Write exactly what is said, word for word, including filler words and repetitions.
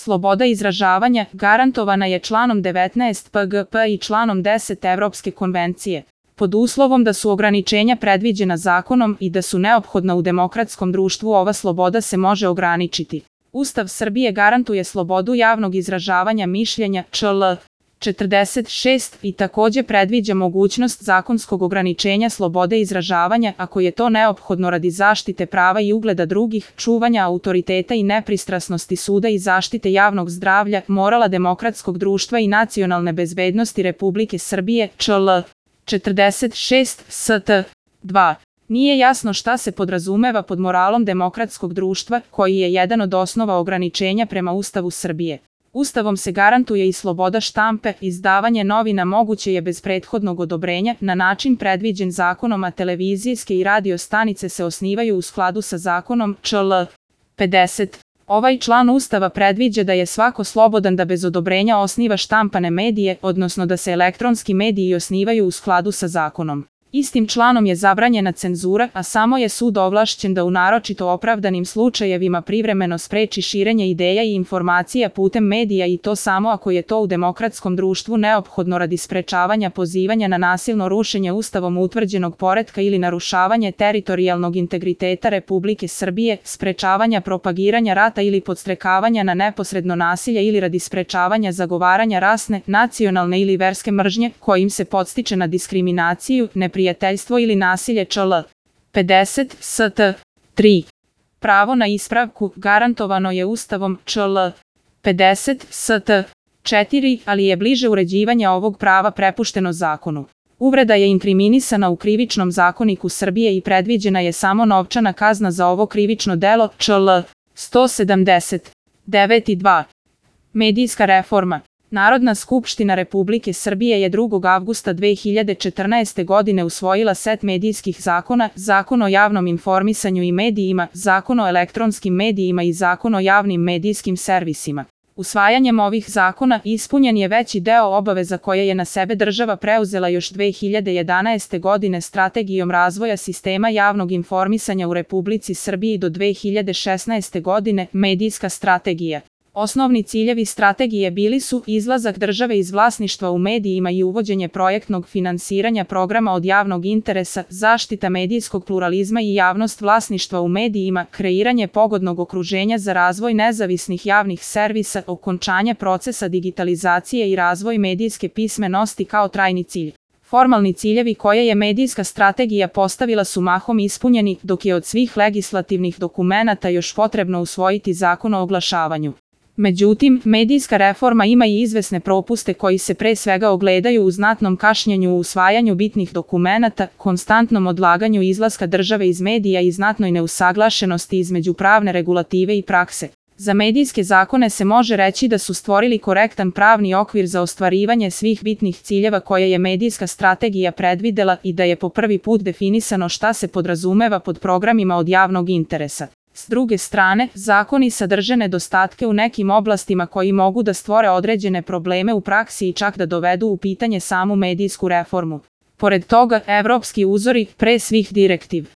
Sloboda izražavanja garantovana je članom devetnaest P G P i članom deset Evropske konvencije, pod uslovom da su ograničenja predviđena zakonom i da su neophodna u demokratskom društvu. Ova sloboda se može ograničiti. Ustav Srbije garantuje slobodu javnog izražavanja mišljenja čl. četrdeset šest i takođe predviđa mogućnost zakonskog ograničenja slobode izražavanja ako je to neophodno radi zaštite prava i ugleda drugih, čuvanja autoriteta i nepristrasnosti suda i zaštite javnog zdravlja, morala demokratskog društva i nacionalne bezbednosti Republike Srbije čl. četrdeset šest st. dva. Nije jasno šta se podrazumeva pod moralom demokratskog društva, koji je jedan od osnova ograničenja prema Ustavu Srbije. Ustavom se garantuje i sloboda štampe, izdavanje novina moguće je bez prethodnog odobrenja, na način predviđen zakonom, a televizijske i radio stanice se osnivaju u skladu sa zakonom čl. pedeset. Ovaj član Ustava predviđa da je svako slobodan da bez odobrenja osniva štampane medije, odnosno da se elektronski mediji osnivaju u skladu sa zakonom. Istim članom je zabranjena cenzura, a samo je sud ovlašćen da u naročito opravdanim slučajevima privremeno spreči širenje ideja i informacija putem medija, i to samo ako je to u demokratskom društvu neophodno radi sprečavanja pozivanja na nasilno rušenje Ustavom utvrđenog poretka ili narušavanje teritorijalnog integriteta Republike Srbije, sprečavanja propagiranja rata ili podstrekavanja na neposredno nasilje ili radi sprečavanja zagovaranja rasne, nacionalne ili verske mržnje, kojim se podstiče na diskriminaciju, neprijateljstvo ili nasilje čl. pedeset st. tri. Pravo na ispravku garantovano je Ustavom čl. pedeset st. četiri, ali je bliže uređivanje ovog prava prepušteno zakonu. Uvreda je inkriminisana u Krivičnom zakoniku Srbije i predviđena je samo novčana kazna za ovo krivično delo čl. sto sedamdeset devet i dva. Medijska reforma. Narodna skupština Republike Srbije je drugog avgusta dve hiljade četrnaeste. godine usvojila set medijskih zakona, Zakon o javnom informisanju i medijima, Zakon o elektronskim medijima i Zakon o javnim medijskim servisima. Usvajanjem ovih zakona ispunjen je veći deo obaveza koje je na sebe država preuzela još dve hiljade jedanaeste. godine Strategijom razvoja sistema javnog informisanja u Republici Srbiji do dve hiljade šesnaeste. godine, Medijska strategija. Osnovni ciljevi strategije bili su izlazak države iz vlasništva u medijima i uvođenje projektnog finansiranja programa od javnog interesa, zaštita medijskog pluralizma i javnost vlasništva u medijima, kreiranje pogodnog okruženja za razvoj nezavisnih javnih servisa, okončanje procesa digitalizacije i razvoj medijske pismenosti kao trajni cilj. Formalni ciljevi koje je medijska strategija postavila su mahom ispunjeni, dok je od svih legislativnih dokumenata još potrebno usvojiti Zakon o oglašavanju. Međutim, medijska reforma ima i izvesne propuste koji se pre svega ogledaju u znatnom kašnjenju u usvajanju bitnih dokumenata, konstantnom odlaganju izlaska države iz medija i znatnoj neusaglašenosti između pravne regulative i prakse. Za medijske zakone se može reći da su stvorili korektan pravni okvir za ostvarivanje svih bitnih ciljeva koje je medijska strategija predvidela i da je po prvi put definisano šta se podrazumeva pod programima od javnog interesa. S druge strane, zakoni sadrže nedostatke u nekim oblastima koji mogu da stvore određene probleme u praksi i čak da dovedu u pitanje samu medijsku reformu. Pored toga, evropski uzori, pre svih direktiv